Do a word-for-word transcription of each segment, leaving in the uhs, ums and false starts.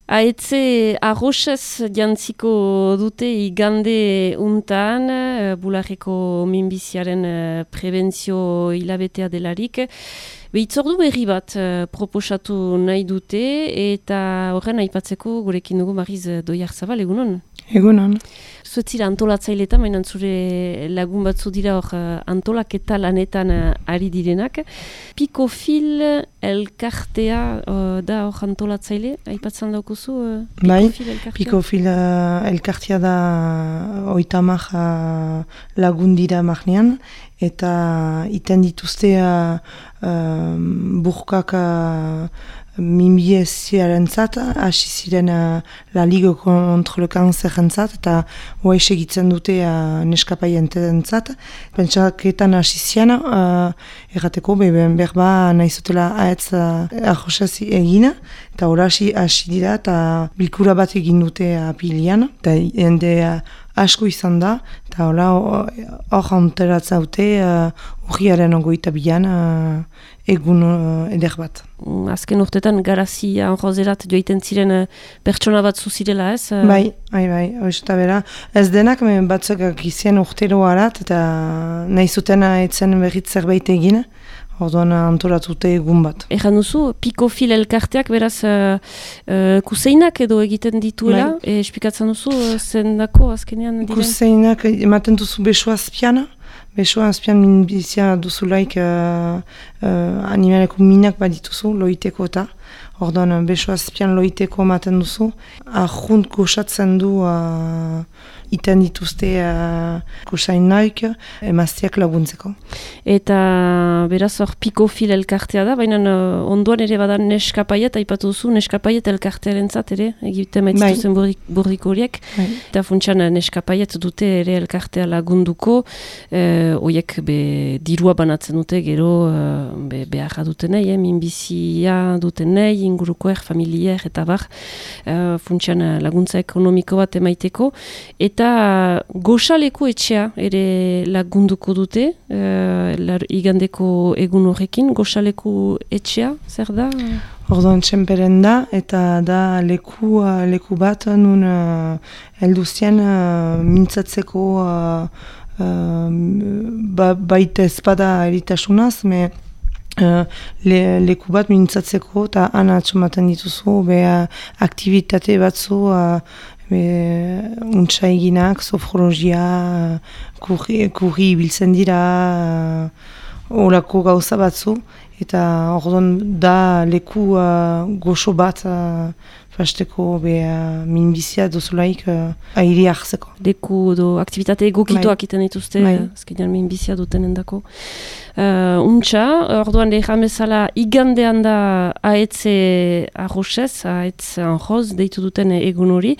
Aetze arroxez jantziko dute igande untan, bularreko minbiziaren prebentzio hilabetea delarik. Behitzordu berri bat proposatu nahi dute eta horren aipatzeko gurekin dugu Mariz Doiarzabal, egunon? Egunon. Zuetzira antolatzailetan, mainan zure lagun batzu dira hor antolaketa lanetan ari direnak. Pikofil elkartea uh, da hor antolatzaile, aipatzen daukuzu? Uh, bai, elkartea? Pikofil uh, elkartea da oitamak uh, lagun dira magnean, eta iten dituzte uh, uh, burkak uh, minbiziaren zat, hasi ziren uh, la Ligue contre le Cancer entzat, eta hoa esegitzen dute uh, neskapaien zat. Pentsaketan hasi zian, uh, errateko beben berba nahi zutela ahetz uh, arroxez egina, eta hori hasi, hasi dira, eta bilkura bat egin dute apilian, eta jende uh, asko izan da, eta hola hor anteratzaute uh, urriaren ogoita bilan uh, egun uh, eder bat. Azken urtetan garazia anrozerat joiten ziren uh, pertsona bat zuzirela ez? Uh... Bai, bai, bai, oizta bera. Ez denak batzuk gizien urtero harat, eta nahi zuten etzen berriz zerbait egin. Orduan antolatute egun bat. Egan duzu, Pikofil elkarteak beraz uh, uh, kuseinak edo egiten dituela, bai. E, esplikatzen duzu uh, zendako azkenean diren? Kuseinak ematen duzu besoa azpian, besoa azpian minbizia duzulaik uh, uh, animaleko minak badituzu, loiteko eta. Orduan besoa azpian loiteko ematen duzu. Arrunt goxatzen du uh, iten dituzte uh, kusainak emazteak laguntzeko. Eta beraz hor Pikofil elkartea da, baina uh, ondoan ere badan neskapaiet, aipatu duzu, neskapaiet elkartearen zat ere, egiten maitzituzen bai. Burriko horiek, bai. Eta funtsan neskapaiet dute ere elkartea lagunduko, eh, oiek be, dirua banatzen dute, gero uh, be, beharra dutenei, eh, minbizia dutenei, ingurukoer, familier, eta bar, uh, funtsan laguntza ekonomiko bat emaiteko, eta goxaleko etxea ere lagunduko dute, uh, lar, igandeko egun horrekin, goxaleko etxea, zer da? Orduan txemperen da, eta da leku, uh, leku bat nun uh, elduzien uh, mintzatzeko uh, uh, ba, baita ezpada eritasunaz, me Uh, le, leku bat mintzatzeko eta ana atxomaten dituzu be uh, aktivitate batzu uh, untsa eginak, sofrologia, uh, kurri, kurri biltzen dira, uh, orako gauza batzu, eta orduan da leku uh, goxo bat uh, fasteko be uh, minbizia dozulaik uh, airi hartzeko. Leku do aktivitate egokituak iten dituzte, azkenean minbizia duten endako. Uh, untxa, orduan lehan bezala igandean da ahetze arroxez, ahetz anjoz, deitu duten egun hori,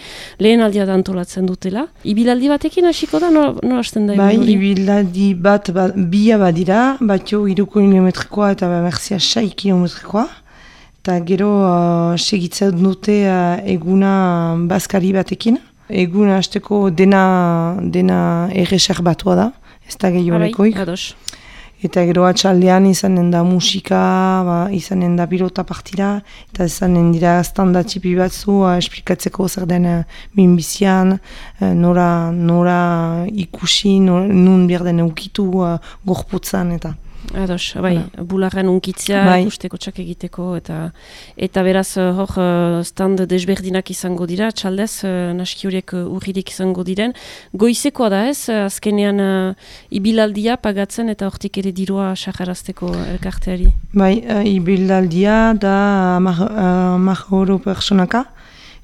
lehen aldia da antolatzen dutela. Ibilaldi batekin hasiko da, no, no hasten da egun hori? Bai, ibilaldi bat, bat bia badira, batio iruko kilometrikoa eta berzia sei kilometrikoa. Eta gero uh, segitzen dute uh, eguna bazkari batekin. Eguna hasteko dena, dena erreser batua da, ez da gehionekoik. Ados. Eta gero atxaldean izanen da musika, ba, izanen da pilota partida, eta izanen dira standa txipi batzu, uh, esplikatzeko zer den uh, minbizian, uh, nora, nora ikusi, nora, nun berden eukitu uh, gorputzan eta. Ados, bai, Hala. Bularren unkitzea, bai. Ikusteko txak egiteko, eta eta beraz hor stand desberdinak izango dira, txaldez, naski horiek urririk izango diren. Goizekoa da ez, azkenean uh, ibilaldia pagatzen eta hortik ere dirua saharazteko elkarteari. Bai, uh, ibilaldia da hamar euro personaka,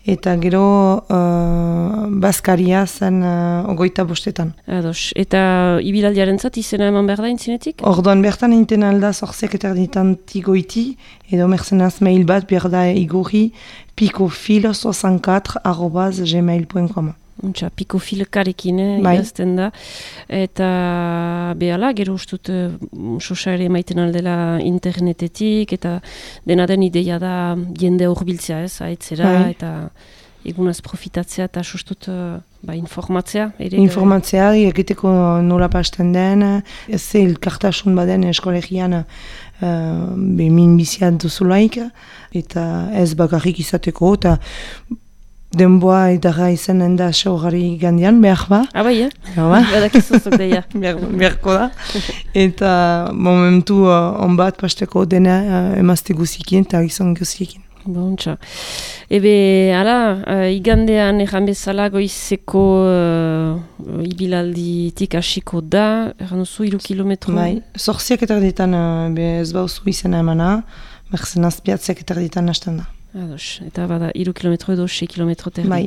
eta gero uh, bazkaria zen uh, ogoita bostetan. Ados. Eta ibilaldiaren zat izena eman behar da intzinetik? Orduan bertan inten alda zorzek eterditanti goiti, edo merzenaz mail bat behar da igorri pikofil soixante-quatre arobaz gmail punto com. Untxa, pikofilkarekin eh, idazten da. Eta behala, gero ustut sosa ere maiten aldela internetetik, eta dena den ideia da jende horbiltzea ez, aetzera, bai. Eta egunaz profitatzea eta sustut uh, ba, informatzea. Ere, informatzea, egiteko nola pasten den, ez ze elkartasun baden eskolegian uh, min biziat duzulaik, eta ez bakarrik izateko, eta denboa edarra izanen da xaugari gandian, behar ba. Ah, bai, eh? Ba. Badakizuzok deia. Beharko da. Eta momentu uh, onbat pasteko dena uh, emazte guziekin eta gizon guziekin. Bontxa. Ebe, ala, uh, igandean erran bezala goizeko uh, ibilalditik hasiko da, erran duzu, iru kilometro? Bai, zorziak eta erditan uh, ez bauzu izena emana, merzen azpiatziak eta erditan hasten da. Ados, eta bada, iru kilometro edo, sei kilometro terdi. Bai.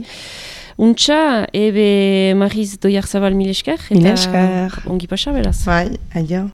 Untxa, ebe Mariz Doiarzabal mil esker, eta mil esker. Ongi pasa, beraz. Bai, aio.